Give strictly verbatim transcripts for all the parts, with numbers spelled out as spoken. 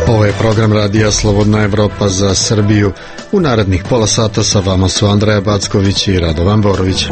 Ovo je program Radija Slobodna Evropa za Srbiju. U narednih pola sata sa vama su Andreja Backović i Radovan Borović.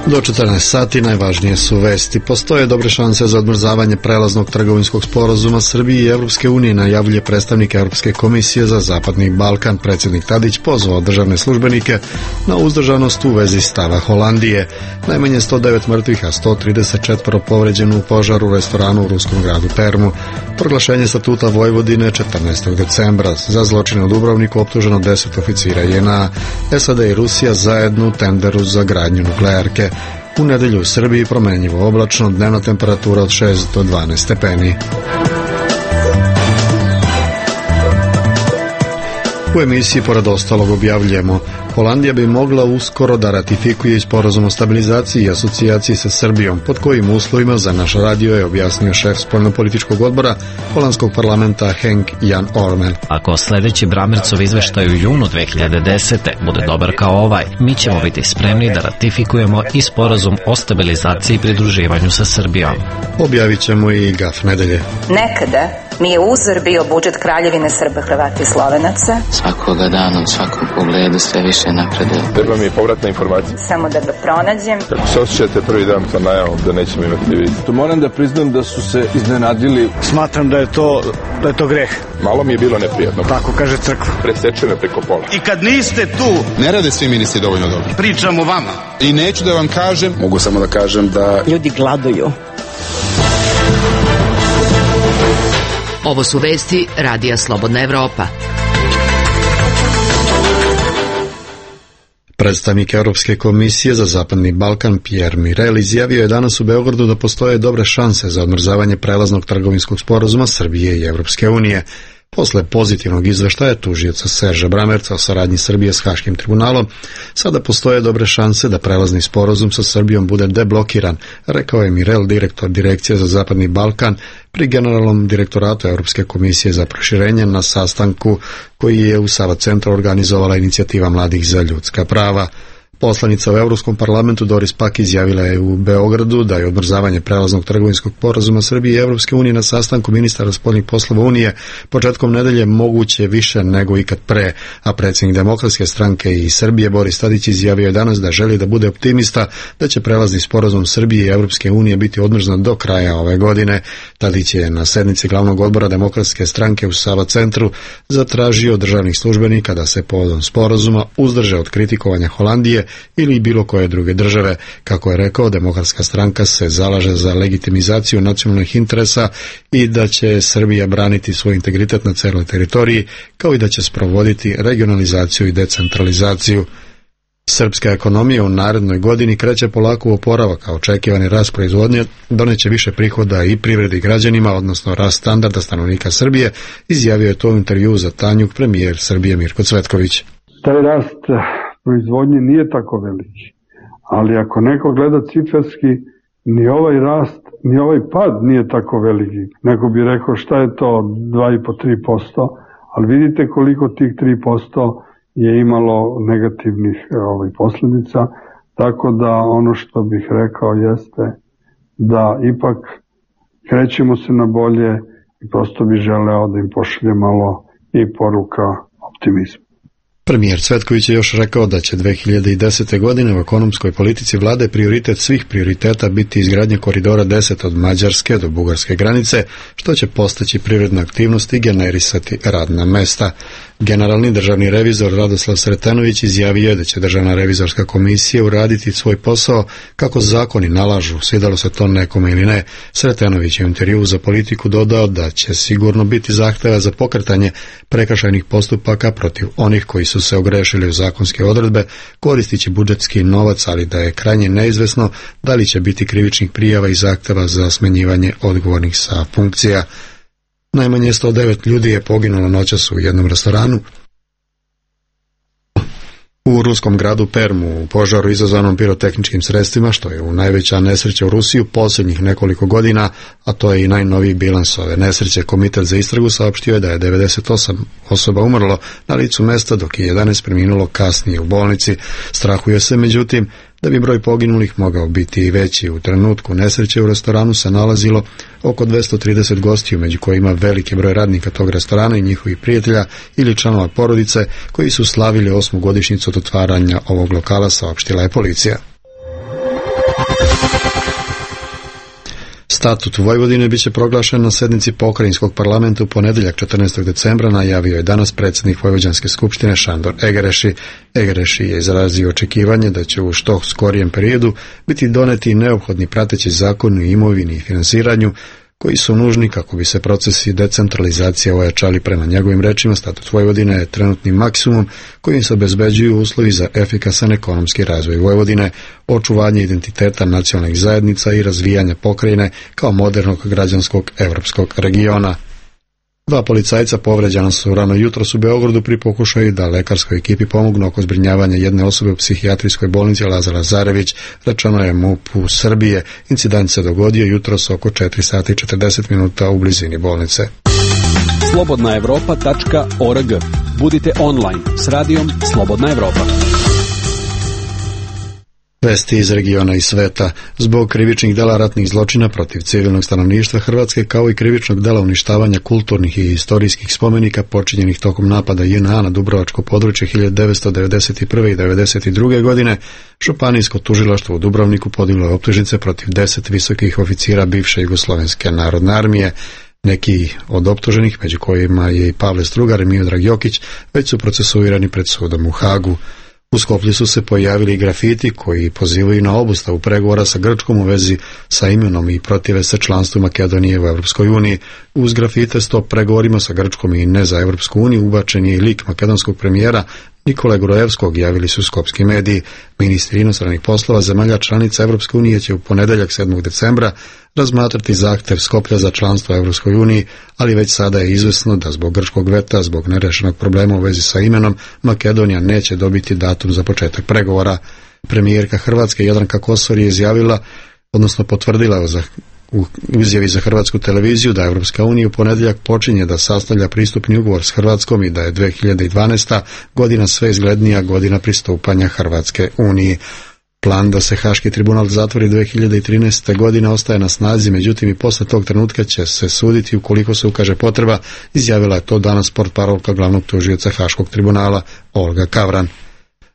Do četrnaest sati najvažnije su vesti. Postoje dobre šanse za odmrzavanje prelaznog trgovinskog sporazuma Srbije i Evropske unije, najavljuje predstavnik Evropske komisije za Zapadni Balkan. Predsjednik Tadić pozvao državne službenike na uzdržanost u vezi stava Holandije. Najmanje sto devet mrtvih, a sto trideset četiri povređeno u požaru u restoranu u ruskom gradu Permu. Proglašenje statuta Vojvodine četrnaestog decembra. Za zločine u Dubrovniku optuženo deset oficira J N A. S A D i Rusija zajedno u tenderu za gradnju nuklearke. U nedelju u Srbiji promenljivo oblačno, dnevna temperatura od šest do dvanaest stepeni. U emisiji pored ostalog objavljujemo: Holandija bi mogla uskoro da ratifikuje sporazum o stabilizaciji i asocijaciji sa Srbijom, pod kojim uslovima, za naš radio je objasnio šef spoljnopolitičkog odbora holandskog parlamenta Henk Jan Ormel. Ako sljedeći Bramercov izveštaj u junu dve hiljade desete bude dobar kao ovaj, mi ćemo biti spremni da ratifikujemo i sporazum o stabilizaciji i pridruživanju sa Srbijom. Objavit ćemo i gaf nedelje. Nekada mi je uzor bio budžet Kraljevine Srba, Hrvata i Slovenaca. Svakoga dana u svakom pogledu sve više napreduje. Treba mi je povratna informacija. Samo da ga pronađem. Kako se osjećate prvi dan sa najavom da nećemo imati vid? To moram da priznam da su se iznenadili. Smatram da je to, da je to greh. Malo mi je bilo neprijatno. Tako kaže crkva. Preseče me preko pola. I kad niste tu, ne rade svi ministri dovoljno dobro. Pričam o vama. I neću da vam kažem. Mogu samo da kažem da ljudi gladuju. Ovo su vesti Radija Slobodna Evropa. Predstavnik Europske komisije za Zapadni Balkan Pierre Mirel izjavio je danas u Beogradu da postoje dobre šanse za odmrzavanje prelaznog trgovinskog sporazuma Srbije i Evropske unije. Posle pozitivnog izveštaja tužioca Serža Bramerca o saradnji Srbije s Haškim tribunalom, sada postoje dobre šanse da prelazni sporazum sa Srbijom bude deblokiran, rekao je Mirel, direktor Direkcije za Zapadni Balkan pri Generalnom direktoratu Europske komisije za proširenje na sastanku koji je u Sava centru organizovala inicijativa mladih za ljudska prava. Poslanica u Europskom parlamentu Doris Pack izjavila je u Beogradu da je odmrzavanje prelaznog trgovinskog sporazuma Srbije i Evropske unije na sastanku ministara spoljnih poslova Unije početkom nedelje moguće više nego ikad pre, a predsjednik Demokratske stranke i Srbije Boris Tadić izjavio je danas da želi da bude optimista da će prelazni sporazum Srbije i Evropske unije biti odmrznut do kraja ove godine. Tadić je na sednici glavnog odbora Demokratske stranke u Sava centru zatražio od državnih službenika da se povodom sporazuma uzdrže od kritikovanja Holandije ili bilo koje druge države. Kako je rekao, Demokratska stranka se zalaže za legitimizaciju nacionalnih interesa i da će Srbija braniti svoj integritet na celoj teritoriji, kao i da će sprovoditi regionalizaciju i decentralizaciju. Srpska ekonomija u narednoj godini kreće polako u oporavak, a očekivani rast proizvodnje doneće više prihoda i privredi i građanima, odnosno rast standarda stanovnika Srbije, izjavio je to u intervjuu za Tanjuk premijer Srbije Mirko Cvetković. Taj rast proizvodnje nije tako veliki, ali ako neko gleda ciferski, ni ovaj rast, ni ovaj pad nije tako veliki. Neko bi rekao šta je to dva i po do tri posto, ali vidite koliko tih tri posto je imalo negativnih ovaj, posljedica, tako da ono što bih rekao jeste da ipak krećemo se na bolje i prosto bi želeo da im pošalje malo i poruka optimizma. Premijer Cvetković je još rekao da će dve hiljade desete. godine u ekonomskoj politici vlade prioritet svih prioriteta biti izgradnja koridora deset od Mađarske do bugarske granice, što će postaći privredna aktivnost i generisati radna mesta. Generalni državni revizor Radoslav Sretenović izjavio je da će Državna revizorska komisija uraditi svoj posao kako zakoni nalažu, svidalo se to nekome ili ne. Sretenović je u intervjuu za Politiku dodao da će sigurno biti zahteva za pokretanje prekršajnih postupaka protiv onih koji su se ogrešili u zakonske odredbe koristići budžetski novac, ali da je krajnje neizvesno da li će biti krivičnih prijava i zahteva za smenjivanje odgovornih sa funkcija. Najmanje sto devet ljudi je poginulo noćas u jednom restoranu u ruskom gradu Permu u požaru izazvanom pirotehničkim sredstvima, što je u najveća nesreća u Rusiji u posljednjih nekoliko godina, a to je i najnoviji bilans ove nesreće. Komitet za istragu saopštio je da je devedeset osam osoba umrlo na licu mesta, dok je jedanaest preminulo kasnije u bolnici. Strahuje se, međutim, da bi broj poginulih mogao biti i veći. U trenutku nesreće u restoranu se nalazilo oko dvesta trideset gostiju, među kojima veliki broj radnika tog restorana i njihovih prijatelja ili članova porodice koji su slavili osmu godišnjicu od otvaranja ovog lokala, saopštila je policija. Statut Vojvodine biće proglašen na sednici pokrajinskog parlamenta u ponedeljak četrnaestog decembra, najavio je danas predsjednik Vojvođanske skupštine Šandor Egereši. Egereši je izrazio očekivanje da će u što skorijem periodu biti doneti neophodni prateći zakoni o imovini i finansiranju koji su nužni kako bi se procesi decentralizacije ojačali. Prema njegovim rečima, statut Vojvodine je trenutni maksimum kojim se obezbeđuju uslovi za efikasan ekonomski razvoj Vojvodine, očuvanje identiteta nacionalnih zajednica i razvijanje pokrajine kao modernog građanskog evropskog regiona. Dva policajca povređena su rano jutros u Beogradu pri pokušaju da lekarskoj ekipi pomognu oko zbrinjavanja jedne osobe u psihijatrijskoj bolnici Lazar Lazarević, rečeno je M U P-u Srbije. Incident se dogodio jutros oko četiri sata i četrdeset minuta u blizini bolnice. slobodna evropa tačka org. Budite online s radijom Slobodna Evropa. Vesti iz regiona i sveta. Zbog krivičnih dela ratnih zločina protiv civilnog stanovništva Hrvatske kao i krivičnog dela uništavanja kulturnih i istorijskih spomenika počinjenih tokom napada J N A na Dubrovačko područje hiljadu devetsto devedeset prve i devedeset druge. godine, Županijsko tužilaštvo u Dubrovniku podiglo je optužnice protiv deset visokih oficira bivše Jugoslovenske narodne armije. Neki od optuženih, među kojima je i Pavle Strugar i Miodrag Jokić, već su procesuirani pred sudom u Hagu. U Skoplju su se pojavili grafiti koji pozivaju na obustavu pregovora sa Grčkom u vezi sa imenom i protive se članstvu Makedonije u Europskoj uniji. Uz grafite stop pregovorima sa Grčkom i ne za Europsku uniju ubačen je i lik makedonskog premijera Nikole Grojevskog, javili su skopski mediji. Ministri inostranih poslova zemalja članica Europske unije će u ponedeljak sedmog decembra razmatrati zahtev Skoplja za članstvo Europskoj uniji, ali već sada je izvesno da zbog grčkog veta, zbog nerešenog problema u vezi sa imenom, Makedonija neće dobiti datum za početak pregovora. Premijerka Hrvatske Jadranka Kosor je izjavila, odnosno potvrdila za u izjavi za Hrvatsku televiziju da Europska unija u ponedjeljak počinje da sastavlja pristupni ugovor s Hrvatskom i da je dve hiljade dvanaesta. godina sve izglednija godina pristupanja Hrvatske uniji. Plan da se Haški tribunal zatvori dve hiljade trinaeste. godine ostaje na snazi, međutim i posle tog trenutka će se suditi ukoliko se ukaže potreba, izjavila je to danas portparolka glavnog tužioca Haškog tribunala Olga Kavran.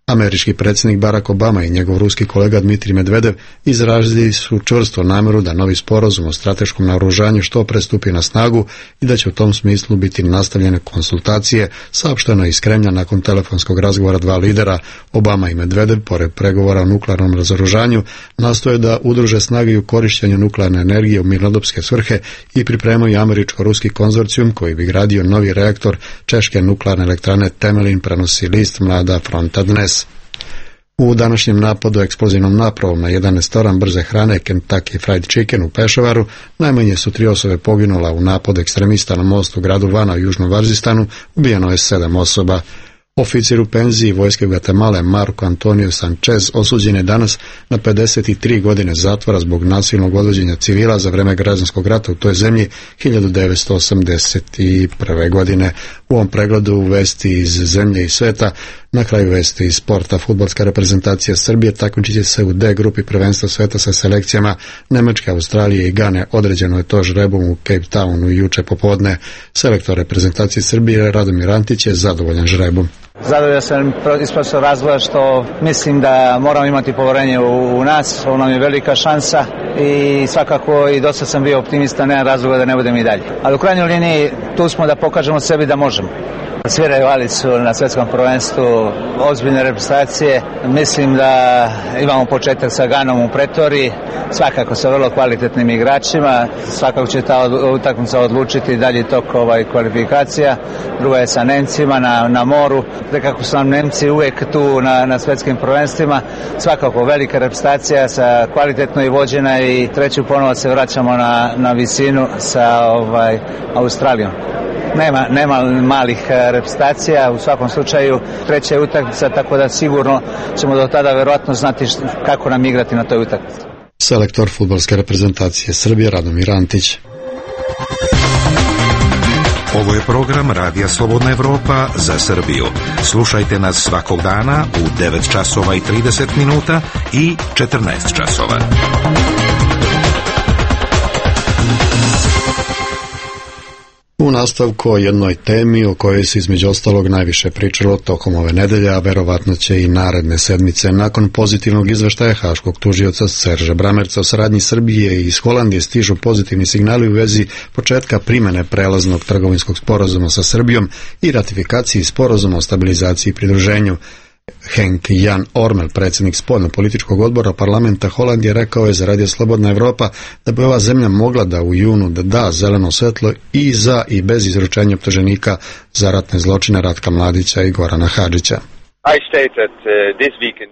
Američki predsjednik Barack Obama i njegov ruski kolega Dmitrij Medvedev izrazili su čvrsto nameru da novi sporazum o strateškom naoružanju što pre stupi na snagu i da će u tom smislu biti nastavljene konsultacije, saopšteno iz Kremlja nakon telefonskog razgovora dva lidera. Obama i Medvedev, pored pregovora o nuklearnom razoružanju, nastoje da udruže snage u korištenju nuklearne energije u mirnodopske svrhe i pripremaju američko-ruski konzorcijum koji bi gradio novi reaktor češke nuklearne elektrane Temelin, prenosi list Mlada fronta dnes. U današnjem napadu eksplozivnom napravom na jedan restoran brze hrane Kentucky Fried Chicken u Pešavaru najmanje su tri osobe poginula. U napadu ekstremista na mostu u gradu Vana u Južnom Varzistanu ubijeno je sedam osoba. Oficir u penziji vojske Gvatemale Marco Antonio Sanchez osuđen je danas na pedeset tri godine zatvora zbog nasilnog odvođenja civila za vreme građanskog rata u toj zemlji hiljadu devetsto osamdeset prve. godine. U ovom pregledu vesti iz zemlje i sveta, na kraju vesti iz sporta. Fudbalska reprezentacija Srbije takmičit će se u D grupi prvenstva sveta sa selekcijama Nemačke, Australije i Gane. Određeno je to žrebom u Cape Townu juče popodne. Selektor reprezentacije Srbije Radomir Antić je zadovoljan žrebom. Zadovoljan sam iz prostog razloga što mislim da moramo imati poverenje u, u nas, ovo nam je velika šansa i svakako i dosta sam bio optimista, nema razloga da ne budem i dalje. Ali u krajnjoj liniji tu smo da pokažemo sebi da možemo. Sviraju Alicu na svjetskom prvenstvu, ozbiljne reprezentacije. Mislim da imamo početak sa Ganom u Pretoriji, svakako sa vrlo kvalitetnim igračima. Svakako će ta utakmica odlučiti dalji tok ovaj kvalifikacija. Druga je sa Nemcima na, na moru. Kako su nam Nemci uvijek tu na, na svjetskim prvenstvima. Svakako velika reprezentacija sa kvalitetno i vođena i treću ponovo se vraćamo na, na visinu sa ovaj, Australijom. Nema, nema malih reprezentacija, u svakom slučaju treća je utakmica, tako da sigurno ćemo do tada verovatno znati kako nam igrati na toj utakmici. Selektor fudbalske reprezentacije Srbije Radomir Antić. Ovo je program Radija Slobodna Evropa za Srbiju. Slušajte nas svakog dana u devet časova i trideset minuta i četrnaest časova. U nastavku o jednoj temi o kojoj se između ostalog najviše pričalo tokom ove nedelje, a verovatno će i naredne sedmice. Nakon pozitivnog izveštaja haškog tužioca Serža Bramerca o saradnji Srbije i iz Holandije stižu pozitivni signali u vezi početka primene prelaznog trgovinskog sporazuma sa Srbijom i ratifikaciji sporazuma o stabilizaciji i pridruženju. Henk Jan Ormel, predsjednik spoljno-političkog odbora parlamenta Holandije, rekao je za Radio Slobodna Evropa da bi ova zemlja mogla da u junu da da zeleno svetlo i za i bez izručenja optuženika za ratne zločine Ratka Mladića i Gorana Hadžića.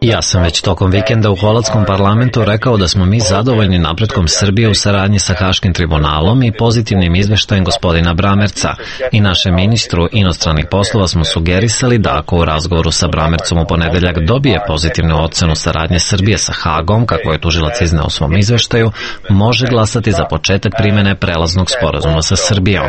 Ja sam već tokom vikenda u holandskom parlamentu rekao da smo mi zadovoljni napretkom Srbije u saradnji sa Haškim tribunalom i pozitivnim izveštajem gospodina Bramerca. I našem ministru inostranih poslova smo sugerisali da ako u razgovoru sa Bramercom u ponedeljak dobije pozitivnu ocenu saradnje Srbije sa Hagom, kako je tužilac izneo u svom izveštaju, može glasati za početak primene prelaznog sporazuma sa Srbijom.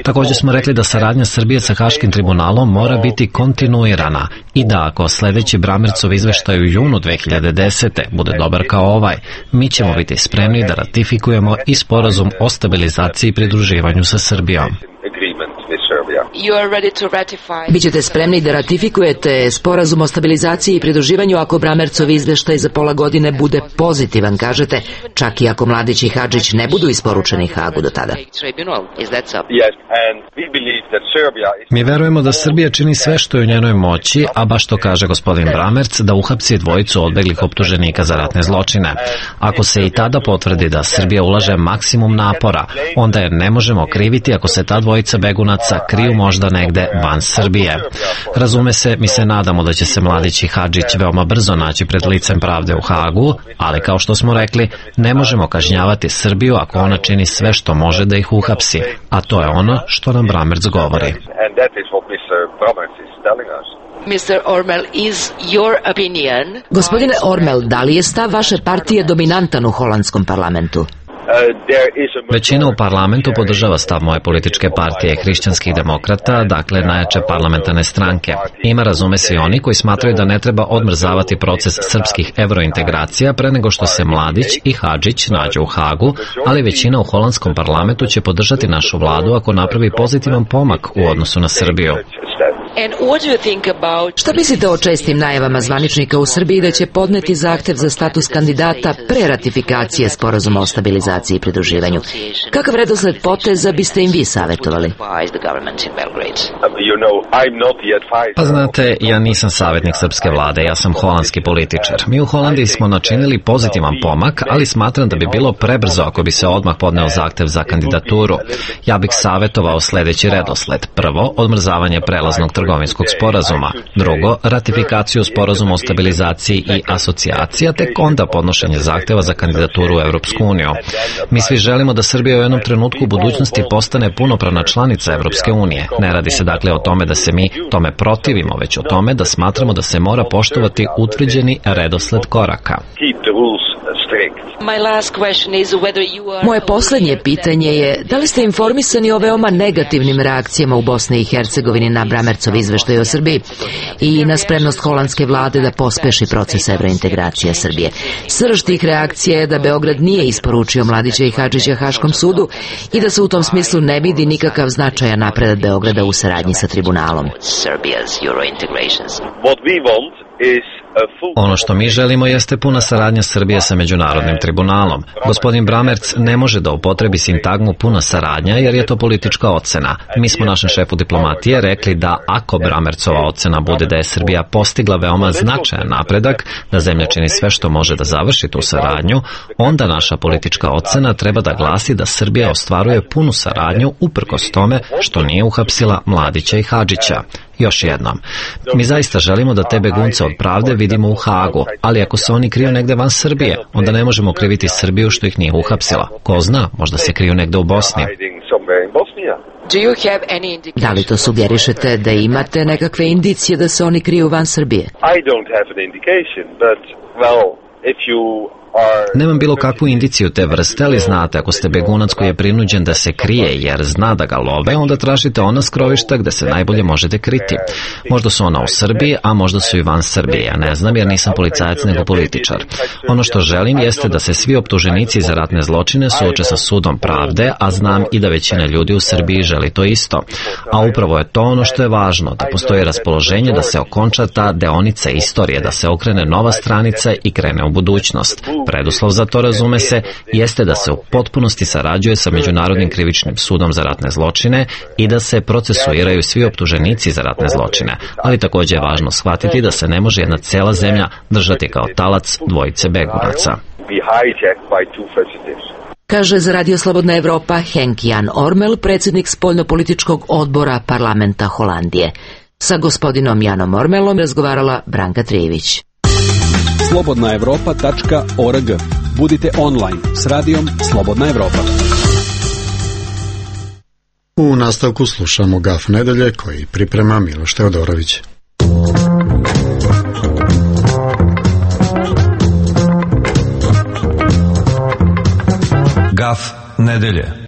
Također smo rekli da saradnja Srbije sa Haškim tribunalom mora biti kontinuirana i da ako sljedeći Bramercov izveštaj u junu dve hiljade desete bude dobar kao ovaj, mi ćemo biti spremni da ratifikujemo i sporazum o stabilizaciji i pridruživanju sa Srbijom. Bićete spremni da ratifikujete sporazum o stabilizaciji i pridruživanju ako Bramercov izveštaj za pola godine bude pozitivan, kažete, čak i ako Mladić i Hadžić ne budu isporučeni Hagu do tada. Mi verujemo da Srbija čini sve što je u njenoj moći, a baš to kaže gospodin Bramerc, da uhapsi dvojicu odbeglih optuženika za ratne zločine. Ako se i tada potvrdi da Srbija ulaže maksimum napora, onda je ne možemo kriviti ako se ta dvojica begunaca kriju možda negde van Srbije. Razume se, mi se nadamo da će se Mladić i Hadžić veoma brzo naći pred licem pravde u Hagu, ali kao što smo rekli, ne možemo kažnjavati Srbiju ako ona čini sve što može da ih uhapsi, a to je ono što nam Bramerc govori. mister Ormel, is your opinion... Gospodine Ormel, da li je stav vaše partije dominantan u holandskom parlamentu? Većina u parlamentu podržava stav moje političke partije hrišćanskih demokrata, dakle najjače parlamentarne stranke. Ima, razume se, i oni koji smatraju da ne treba odmrzavati proces srpskih evrointegracija pre nego što se Mladić i Hadžić nađu u Hagu, ali većina u holandskom parlamentu će podržati našu vladu ako napravi pozitivan pomak u odnosu na Srbiju. Šta mislite o čestim najavama zvaničnika u Srbiji da će podneti zahtev za status kandidata pre ratifikacije sporazuma o stabilizaciji i pridruživanju? Kakav redosled poteza biste im vi savjetovali? Pa znate, ja nisam savjetnik srpske vlade, ja sam holandski političar. Mi u Holandiji smo načinili pozitivan pomak, ali smatram da bi bilo prebrzo ako bi se odmah podneo zahtev za kandidaturu. Ja bih savjetovao sljedeći redosled. Prvo, odmrzavanje prelaznog trgovinskog sporazuma. Drugo, ratifikaciju sporazuma o stabilizaciji i asocijacija, tek onda podnošenje zahteva za kandidaturu u Evropsku uniju. Mi svi želimo da Srbija u jednom trenutku u budućnosti postane punopravna članica Evropske unije. Ne radi se dakle o tome da se mi tome protivimo, već o tome da smatramo da se mora poštovati utvrđeni redosled koraka. Moje posljednje pitanje je da li ste informisani o veoma negativnim reakcijama u Bosni i Hercegovini na Bramercov izveštaj o Srbiji i na spremnost holandske vlade da pospeši proces evrointegracije Srbije. Srž tih reakcija je da Beograd nije isporučio Mladića i Hadžića Haškom sudu i da se u tom smislu ne vidi nikakav značajan napredak Beograda u saradnji sa tribunalom. Ono što mi želimo jeste puna saradnja Srbije sa međunarodnim tribunalom. Gospodin Bramerc ne može da upotrebi sintagmu puna saradnja jer je to politička ocena. Mi smo našem šefu diplomatije rekli da ako Bramercova ocena bude da je Srbija postigla veoma značajan napredak, da zemlja čini sve što može da završi tu saradnju, onda naša politička ocena treba da glasi da Srbija ostvaruje punu saradnju uprkos tome što nije uhapsila Mladića i Hadžića. Još jednom, mi zaista želimo da te begunce od pravde vidimo u Hagu, ali ako se oni kriju negde van Srbije, onda ne možemo kriviti Srbiju što ih nije uhapsila. Ko zna, možda se kriju negde u Bosni. Da li to sugerišete da imate nekakve indicije da se oni kriju van Srbije? Nemam bilo kakvu indiciju te vrste, ali znate, ako ste begunac koji je prinuđen da se krije jer zna da ga love, onda tražite ona skrovišta gde se najbolje možete kriti. Možda su ona u Srbiji, a možda su i van Srbije. Ja ne znam jer nisam policajac nego političar. Ono što želim jeste da se svi optuženici za ratne zločine suoče sa sudom pravde, a znam i da većina ljudi u Srbiji želi to isto. A upravo je to ono što je važno, da postoji raspoloženje da se okonča ta deonica istorije, da se okrene nova stranica i krene u budućnost. Preduslov za to, razume se, jeste da se u potpunosti sarađuje sa Međunarodnim krivičnim sudom za ratne zločine i da se procesuiraju svi optuženici za ratne zločine, ali takođe je važno shvatiti da se ne može jedna cela zemlja držati kao talac dvojice begunaca. Kaže za Radio Slobodna Evropa Henk Jan Ormel, predsjednik spoljnopolitičkog odbora parlamenta Holandije. Sa gospodinom Janom Ormelom razgovarala Branka Trijević. slobodna evropa tačka org. Budite online s radijom Slobodna Evropa. U nastavku slušamo Gaf nedelje koji priprema Miloš Teodorović. Gaf nedelje.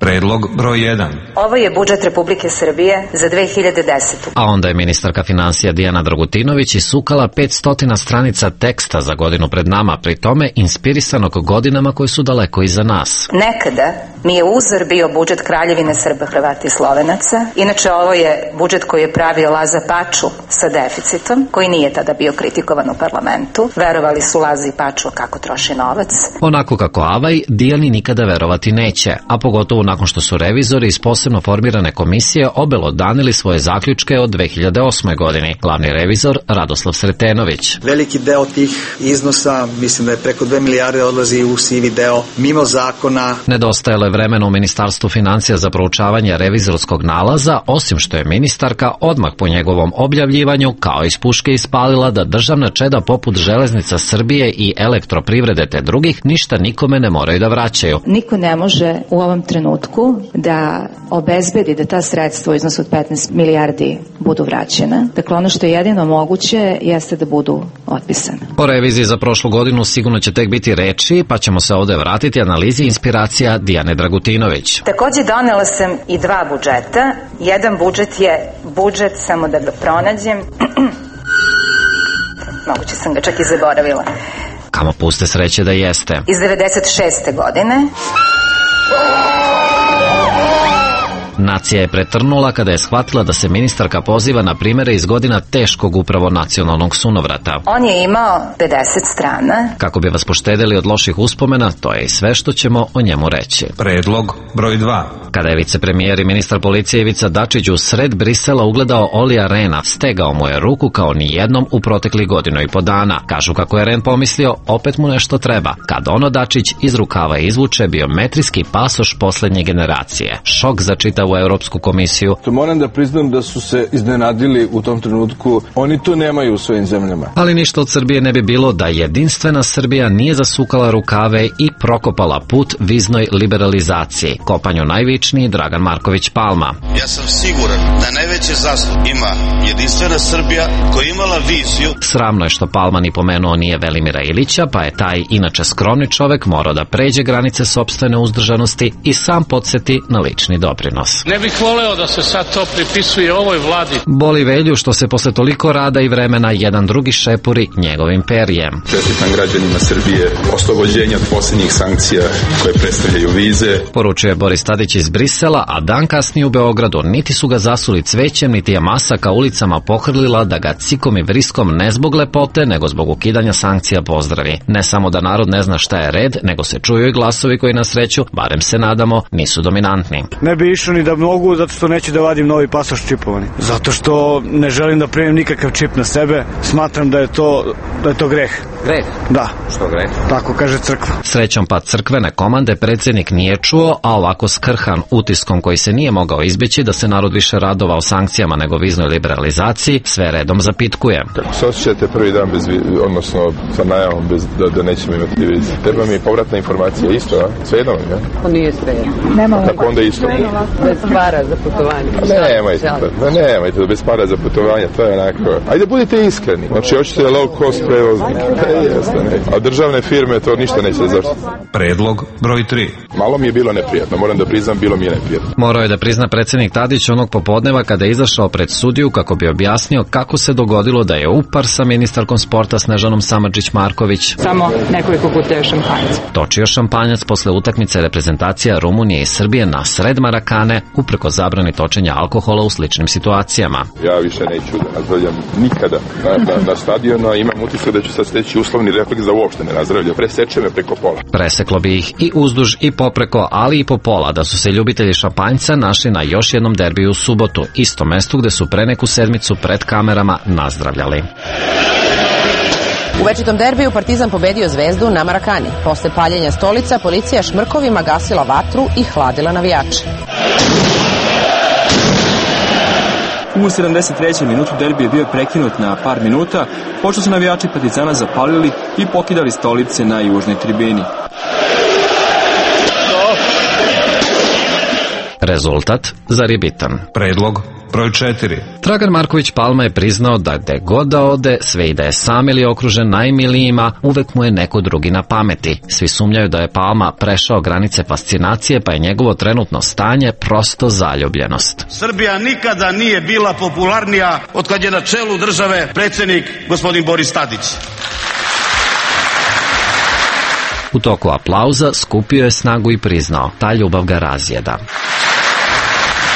Predlog broj jedan. Ovo je budžet Republike Srbije za dve hiljade desetu. A onda je ministarka finansija Dijana Dragutinović isukala petsto stranica teksta za godinu pred nama, pri tome inspirisanog godinama koje su daleko iza nas. Nekada mi je uzor bio budžet Kraljevine Srba, Hrvata i Slovenaca. Inače, ovo je budžet koji je pravio Laza Paču sa deficitom, koji nije tada bio kritikovan u parlamentu. Verovali su Laza i Paču kako troši novac. Onako kako Avaj, Dijani nikada verovati neće, a pogotovo nakon što su revizori iz posebno formirane komisije obelodanili svoje zaključke od dve hiljade osme. godine. Glavni revizor Radoslav Sretenović. Veliki deo tih iznosa, mislim da je preko dve milijarde, odlazi u sivi deo, mimo zakona. Nedostajalo je vremena u Ministarstvu finansija za proučavanje revizorskog nalaza, osim što je ministarka odmah po njegovom objavljivanju kao iz puške ispalila da državna čeda poput Železnica Srbije i Elektroprivrede te drugih ništa nikome ne moraju da vraćaju. Niko ne može u ovom trenutku da obezbedi da ta sredstva u iznosu od petnaest milijardi budu vraćena. Dakle, ono što je jedino moguće jeste da budu otpisane. O reviziji za prošlu godinu sigurno će tek biti reči, pa ćemo se ovde vratiti analizi inspiracija Dijane Dragutinović. Takođe donela sam i dva budžeta. Jedan budžet je budžet, samo da ga pronađem. Moguće sam ga čak i zaboravila. Kamo puste sreće da jeste. Iz devedeset šeste. godine. Nacija je pretrnula kada je shvatila da se ministarka poziva na primere iz godina teškog upravo nacionalnog sunovrata. On je imao pedeset strana. Kako bi vas poštedeli od loših uspomena, to je i sve što ćemo o njemu reći. Predlog broj dva. Kada je vicepremijer i ministar policije Ivica Dačić u sred Brisela ugledao Olija Rena, stegao mu je ruku kao ni jednom u proteklih godinu i po dana. Kažu kako je Ren pomislio, opet mu nešto treba. Kad ono Dačić iz rukava izvuče biometrijski pasoš poslednje generacije. Šok za čitavu Europsku komisiju. To moram da priznam da su se iznenadili u tom trenutku. Oni to nemaju u svojim zemljama. Ali ništa od Srbije ne bi bilo da jedinstvena Srbija nije zasukala rukave i prokopala put viznoj liberalizaciji. Kopanju najvičniji Dragan Marković Palma. Ja sam siguran da najveće zasluge ima jedinstvena Srbija koja je imala viziju. Sramno je što Palma ni pomenuo nije Velimira Ilića, pa je taj inače skromni čovek morao da pređe granice sopstvene uzdržanosti i sam podsjeti na lični doprinos. Ne bih voleo da se sad to pripisuje ovoj vladi. Boli Velju što se posle toliko rada i vremena jedan drugi šepuri njegovim perjem. Čestitam građanima Srbije oslobođenja od posljednjih sankcija koje predstavljaju vize. Poručuje Boris Tadić iz Brisela, a dan kasnije u Beogradu niti su ga zasuli cvećem, niti je masa ka ulicama pohrlila da ga cikom i vriskom ne zbog lepote, nego zbog ukidanja sankcija pozdravi. Ne samo da narod ne zna šta je red, nego se čuju i glasovi koji na sreću, barem se nadamo, nisu dominantni. Ne bi išao ni da mogu, zato što neću da vadim novi pasoš čipovani. Zato što ne želim da primim nikakav čip na sebe. Smatram da je to, da je to greh. Greh? Da. Što greh? Tako kaže crkva. Srećom pa crkvene komande predsjednik nije čuo, a ovako skrhan utiskom koji se nije mogao izbeći da se narod više radovao sankcijama nego viznoj liberalizaciji, sve redom zapitkuje. Kako se osjećate prvi dan bez, odnosno sa najavom bez, da, da nećemo imati vize? Treba mi povratna informacija isto, a? Sve jedno, ja? To nije sve jedno. Kako onda isto? bez para za putovanje. Nemojte, pa nemojte da bez para za putovanje, to je onako. Ajde budite iskreni. Znači hoćete low cost prevoznik. Jeste, ne. A državne firme to ništa neće zašto. Predlog broj tri. Malo mi je bilo neprijatno, moram da priznam, bilo mi je neprijatno. Morao je da prizna predsjednik Tadić onog popodneva kada je izašao pred sudiju kako bi objasnio kako se dogodilo da je upar sa ministarkom sporta Snežanom Samardžić-Marković. Samo nekoliko kutija šampanjaca. Točio šampanjac posle utakmice reprezentacija Rumunije i Srbije na sred Marakane, upreko zabrani točenja alkohola u sličnim situacijama. Ja više neću da nazdravljam nikada na, na, na stadionu, a imam utisak da ću sad steći uslovni refleks da uopšte ne nazdravljam. Preseče me preko pola. Preseklo bi ih i uzduž i popreko, ali i po pola, da su se ljubitelji šampanjca našli na još jednom derbiju u subotu, isto mestu gde su pre neku sedmicu pred kamerama nazdravljali. U večitom derbiju Partizan pobedio Zvezdu na Marakani. Posle paljenja stolica, policija šmrkovima gasila vatru i hladila navijače. U sedamdeset trećem minutu derbi je bio prekinut na par minuta, pošto su navijači Partizana zapalili i pokidali stolice na južnoj tribini. Rezultat, zar je bitan? Predlog broj četiri. Dragan Marković Palma je priznao da gde god da ode, sve i da je sam ili okružen najmilijima, uvek mu je neko drugi na pameti. Svi sumnjaju da je Palma prešao granice fascinacije, pa je njegovo trenutno stanje prosto zaljubljenost. Srbija nikada nije bila popularnija od kad je na čelu države predsjednik gospodin Boris Tadić. U toku aplauza skupio je snagu i priznao, ta ljubav ga razjeda.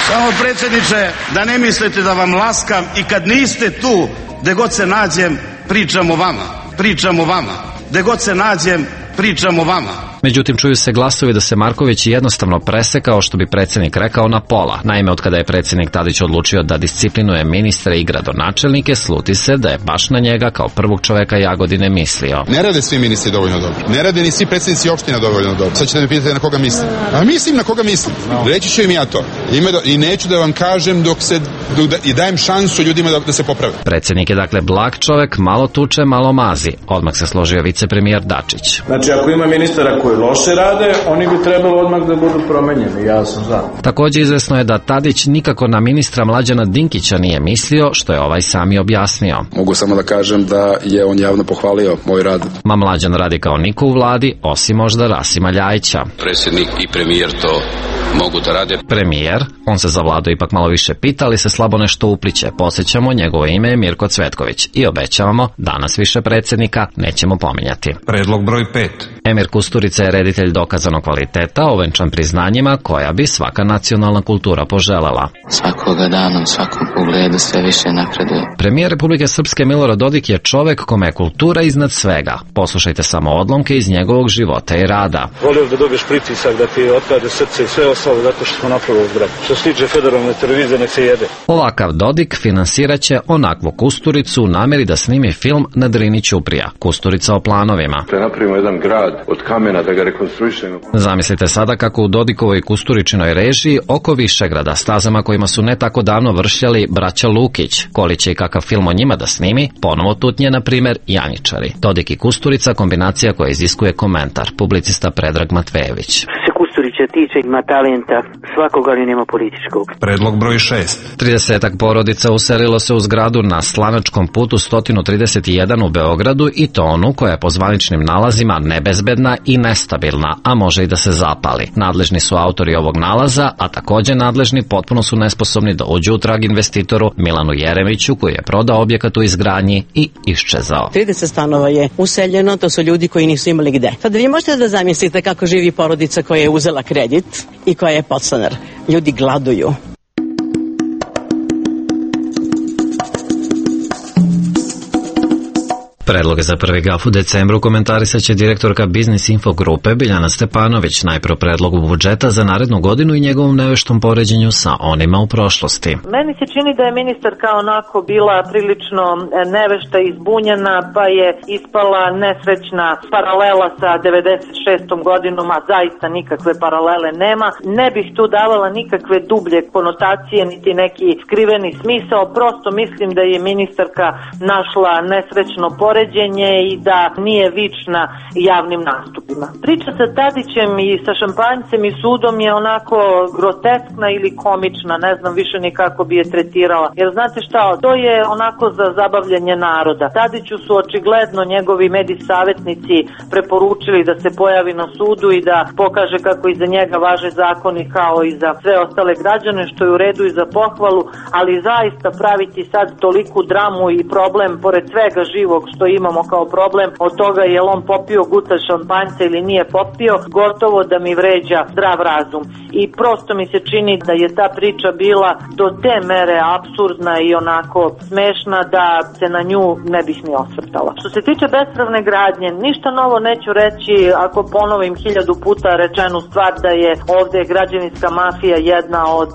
Samo predsjedniče, da ne mislite da vam laskam i kad niste tu, gde god se nađem, pričam o vama, pričam o vama, gde god se nađem, pričam o vama. Međutim, čuju se glasovi da se Marković jednostavno presekao, što bi predsjednik rekao, na pola. Naime, od kada je predsjednik Tadić odlučio da disciplinuje ministre i gradonačelnike, sluti se da je baš na njega kao prvog čoveka Jagodine mislio. Ne rade svi ministri dovoljno dobro. Ne rade ni svi predsjednici opština dovoljno dobro. Sad ćete me pitati na koga mislim. A mislim na koga mislim. Reći ću im ja to. I neću da vam kažem dok se i dajem šansu ljudima da, da se poprave. Predsjednik je dakle blag čovek, malo tuče, malo mazi. Odmah se složio vicepremijer Dačić. Znači, ako ima ministara koji loše rade, oni bi trebalo odmah da budu promenjeni, ja sam za. Također izvesno je da Tadić nikako na ministra Mlađana Dinkića nije mislio, što je ovaj sami objasnio. Mogu samo da kažem da je on javno pohvalio moj rad. Ma Mlađan radi kao niko u vladi, osim možda Rasima Ljajića. Predsjednik i premijer to mogu da rade. Premijer, on se za vladu ipak malo više pita, ali se slabo nešto upliće. Posjećamo, njegovo ime je Mirko Cvetković i obećavamo, danas više predsjednika nećemo pominjati. Predlog broj pet. Emir Kusturica je reditelj dokazanog kvaliteta, ovenčan priznanjima koja bi svaka nacionalna kultura poželela. Svakoga dana, u svakom pogledu sve više napreduje. Premijer Republike Srpske Milorad Dodik je čovek kome je kultura iznad svega. Poslušajte samo odlomke iz njegovog života i rada. Volio da dobiješ pritisak, da ti otpade srce i sve ostalo zato što smo napravili zgradu. Što se tiče federalne televizije, nek se jede. Ovakav Dodik finansiraće onakvu Kusturicu u nameri da snimi film na Drini Ćuprija. Kusturica o planovima. Da napravimo jedan grad od kamena, da ga rekonstruišemo. Zamislite sada kako u Dodikovoj Kusturičinoj režiji oko Višegrada, stazama kojima su ne tako davno vršljali braća Lukić, koli će i kakav film o njima da snimi, ponovo tutnje, na primer, Janjičari. Dodik i Kusturica, kombinacija koja iziskuje komentar, publicista Predrag Matvejević. Kusturića tiče, ima talenta svakog, ali nema političkog. Predlog broj šest. tridesetak porodica uselilo se u zgradu na Slanačkom putu sto trideset jedan u Beogradu, i to onu koja je po zvaničnim nalazima nebezbedna i nestabilna, a može i da se zapali. Nadležni su autori ovog nalaza, a također nadležni potpuno su nesposobni da uđu u trag investitoru Milanu Jeremiću, koji je prodao objekat u izgradnji i iščezao. trideset stanova je useljeno, to su ljudi koji nisu imali gde. Sad vi možete da zamislite kako živi porodica koja je uzela kredit i koja je podstanar. Ljudi gladuju. Predloge za prvi gaf u decembru komentarisat će direktorka Biznis Info grupe Biljana Stepanović, najpro predlogu budžeta za narednu godinu i njegovom neveštom poređenju sa onima u prošlosti. Meni se čini da je ministarka onako bila prilično nevešta i zbunjena, pa je ispala nesrećna paralela sa devedeset šestom godinom, a zaista nikakve paralele nema. Ne bih tu davala nikakve dublje konotacije, niti neki skriveni smisao, prosto mislim da je ministarka našla nesrećno poređenje poređenje i da nije vična javnim nastupima. Priča sa Tadićem i sa šampanjcem i sudom je onako groteskna ili komična, ne znam više ni kako bi je tretirala. Jer znate šta, to je onako za zabavljanje naroda. Tadiću su očigledno njegovi medij savjetnici preporučili da se pojavi na sudu i da pokaže kako iza njega važe zakoni kao i za sve ostale građane, što je u redu i za pohvalu, ali zaista praviti sad toliku dramu i problem pored svega živog što imamo kao problem od toga je li on popio guta šampanjca ili nije popio, gotovo da mi vređa zdrav razum. I prosto mi se čini da je ta priča bila do te mere apsurdna i onako smešna da se na nju ne bih ni osvrtala. Što se tiče bespravne gradnje, ništa novo neću reći ako ponovim hiljadu puta rečenu stvar da je ovde građevinska mafija jedna od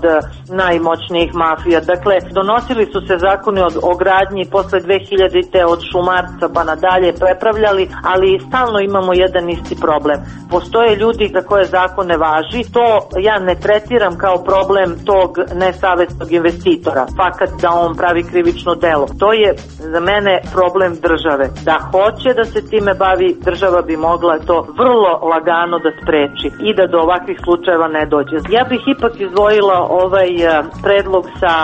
najmoćnijih mafija. Dakle, donosili su se zakoni od, o gradnji posle dve hiljadite od Šumarca pa nadalje prepravljali, ali stalno imamo jedan isti problem. Postoje ljudi za koje zakon ne važi, to ja ne tretiram kao problem tog nesavesnog investitora, fakat da on pravi krivično delo. To je za mene problem države. Da hoće da se time bavi, država bi mogla to vrlo lagano da spreči i da do ovakvih slučajeva ne dođe. Ja bih ipak izdvojila ovaj predlog sa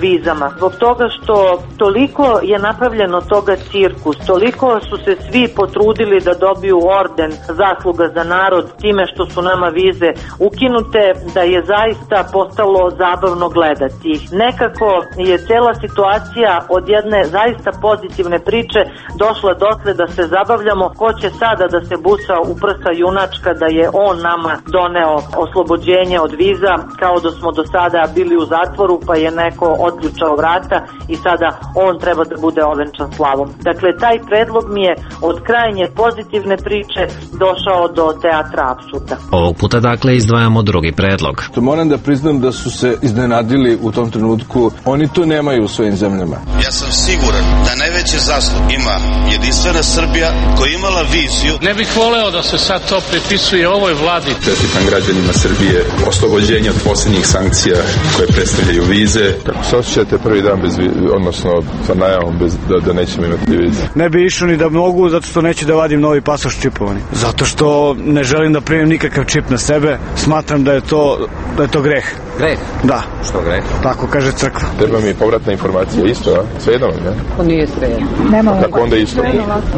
vizama, zbog toga što toliko je napravljeno toga cirkus, toliko su se svi potrudili da dobiju orden zasluga za narod time što su nama vize ukinute, da je zaista postalo zabavno gledati. Nekako je cela situacija od jedne zaista pozitivne priče došla dotle da se zabavljamo ko će sada da se busa u prsa junačka da je on nama doneo oslobođenje od viza, kao da smo do sada bili u zatvoru pa je neko otključao vrata i sada on treba da bude ovenčan slavom. Dakle, taj predlog mi je od krajnje pozitivne priče došao do teatra apsurda. Ovog puta dakle izdvajamo drugi predlog. To moram da priznam da su se iznenadili u tom trenutku. Oni to nemaju u svojim zemljama. Ja sam siguran da najveće zaslug ima Jedinstvena Srbija koja je imala viziju. Ne bih voleo da se sad to pripisuje ovoj vladi. Čestitam građanima Srbije oslobođenje od posljednjih sankcija koje predstavljaju vize. Kako se osjećate prvi dan bez vize, odnosno sa najavom bez, da, da nećemo imati vize? Ne bi išao ni da mogu, zato što neću da vadim novi pasoš čipovani. Zato što ne želim da primim nikakav čip na sebe. Smatram da je to, da je to greh. Greh? Da. Što greh? Tako kaže crkva. Treba mi povratna informacija isto, a? Sve jedno, ne? To nije sve jedno. Nema tako onda isto.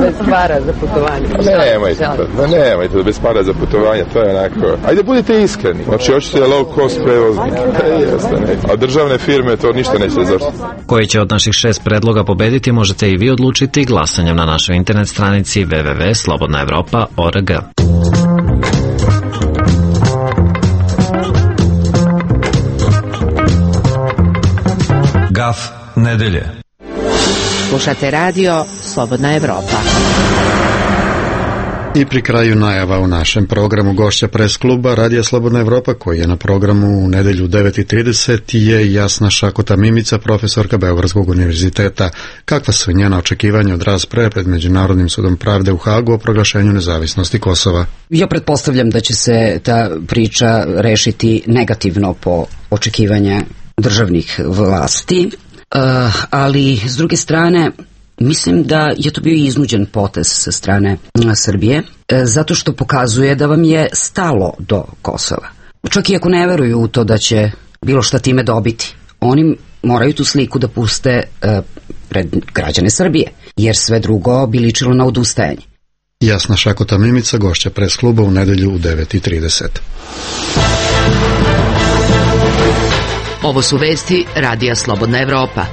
Bez para za putovanje. Ne, nemojte, da nemojte, da bez para za putovanje, to je onako. Ajde, budite iskreni. Znači, hoćete low cost prevoznik. Jeste, ne. A državne firme to ništa neće zaštiti. Koji će od naših šest predloga pobediti možete i vi odlučiti glasanjem na našoj internet stranici w w w tačka slobodna evropa tačka org. Gaf nedelje. Slušate radio Slobodna Evropa. I pri kraju najava u našem programu gošća pres kluba Radija Slobodna Evropa, koji je na programu u nedelju u devet i trideset, je Jasna Šakota Mimica, profesorka Beogradskog univerziteta. Kakva su njena očekivanja od rasprave pred Međunarodnim sudom pravde u Hagu o proglašenju nezavisnosti Kosova? Ja pretpostavljam da će se ta priča rešiti negativno po očekivanja državnih vlasti, ali s druge strane mislim da je to bio iznuđen potez sa strane Srbije, zato što pokazuje da vam je stalo do Kosova. Čak i ako ne veruju u to da će bilo šta time dobiti, oni moraju tu sliku da puste pred građane Srbije, jer sve drugo bi ličilo na odustajanje. Jasna Šakota Mimica, gošća pres kluba u nedelju u devet i trideset. Ovo su vesti Radija Slobodna Evropa.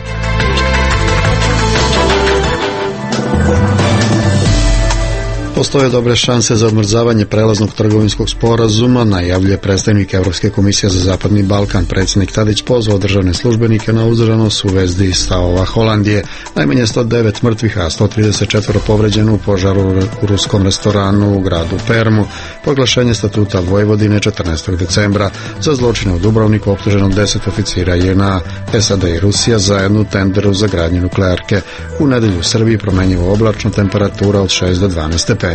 Postoje dobre šanse za odmrzavanje prelaznog trgovinskog sporazuma, najavljuje predstavnik Evropske komisije za Zapadni Balkan. Predsjednik Tadić pozvao državne službenike na uzdržanost u vezi stavova Holandije. Najmanje sto devet mrtvih, a sto trideset četiri povređeno u požaru u ruskom restoranu u gradu Permu. Proglašenje statuta Vojvodine četrnaestog decembra. Za zločine u Dubrovniku optuženo deset oficira J N A. S A D i Rusija zajedno u tenderu za gradnju nuklearke. U nedelju u Srbiji promenjivo oblačno, temperatura od šest do dvanaest stepeni.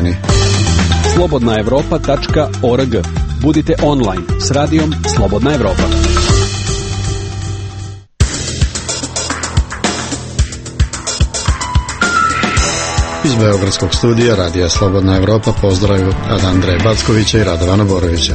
slobodna evropa tačka org. Budite online s radijom Slobodna Evropa. Iz Iz Beogradskog studija Radija Slobodna Evropa pozdravljaju od Andreja Backovića i Radovana Borovića.